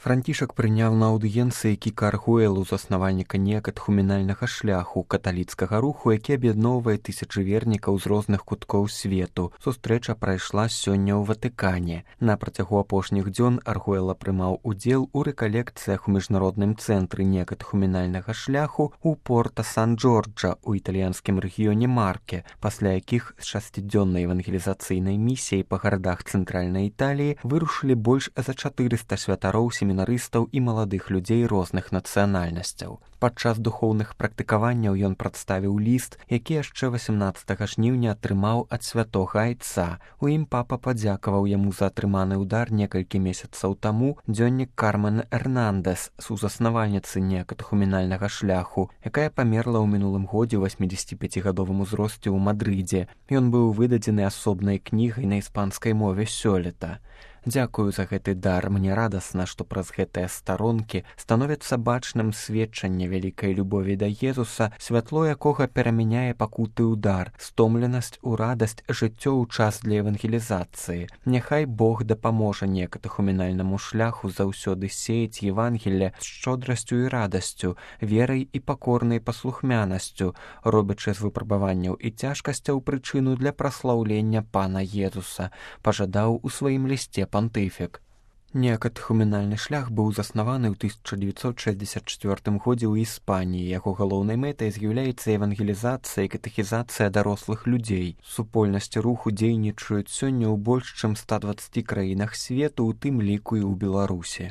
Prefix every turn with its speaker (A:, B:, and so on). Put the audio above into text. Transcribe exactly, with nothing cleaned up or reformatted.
A: Францішак прыняў на аўдыенцыі Кіка Аргуэлу, заснавальніка некатхумінальнага шляху, каталіцкага руху, які аб'ядноўвае тысячы вернікаў з розных куткоў свету. Сустрэча прайшла сёння ў Ватыкане. На працягу апошніх дзён Аргуэла прымаў удзел у рэкалекцыях у міжнародным цэнтры некатхумінальнага шляху ў Порта-Сан-Джорджа ў італьянскім рэгіёне Марке, пасля якіх з шасцідзённай евангелізацыйнай місіяй па гарадах цэнтральнай Італіі вырушылі больш за чатырыста святароў семінарыстаў і маладых людзей розных нацыянальнасцяў. Падчас духоўных практыкаванняў ён прадставіў ліст, які яшчэ васямнаццатага жніўня атрымаў ад святога айца. У ім папа падзякаваў яму за атрыманы ўдар некалькі месяцаў таму. Дзённік Кармен Эрнандэс, сузаснавальніцы некатхумінальнага шляху, якая памерла ў мінулым годзе ў васьмідзесятіпяцігадовым узросце ў Мадрыдзе. Ён быў выдадзены асобнай кнігай на іспанскай мове сёлета. Дзякую за гэты дар. Мне радасна, што праз гэтыя старонкі становіцца бачным сведчанне вялікай любові да Езуса, святло якога перамяняе пакуты ўдар, стомленасць у радасць, жыццё ў час для евангелізацыі. Няхай Бог дапаможа некатхумінальнаму шляху заўсёды сеяць Евангелле з шчодрасцю і радасцю, верай і пакорнай паслухмянасцю, робячы з выпрабаванняў і цяжкасцяў прычыну для праслаўлення Пана Езуса, пажадаў у сваім лісце пантыфік. Некатхумінальны шлях быў заснаваны ў тысяча дзевяцьсот шэсцьдзесят чвёртым годзе ў Іспаніі. Яго галоўнай мэтай з'яўляецца евангелізацыя і катэхізацыя дарослых людзей. Супольнасці руху дзейнічаюць сёння ў больш чым ста дваццаці краінах свету, у тым ліку і ў Беларусі.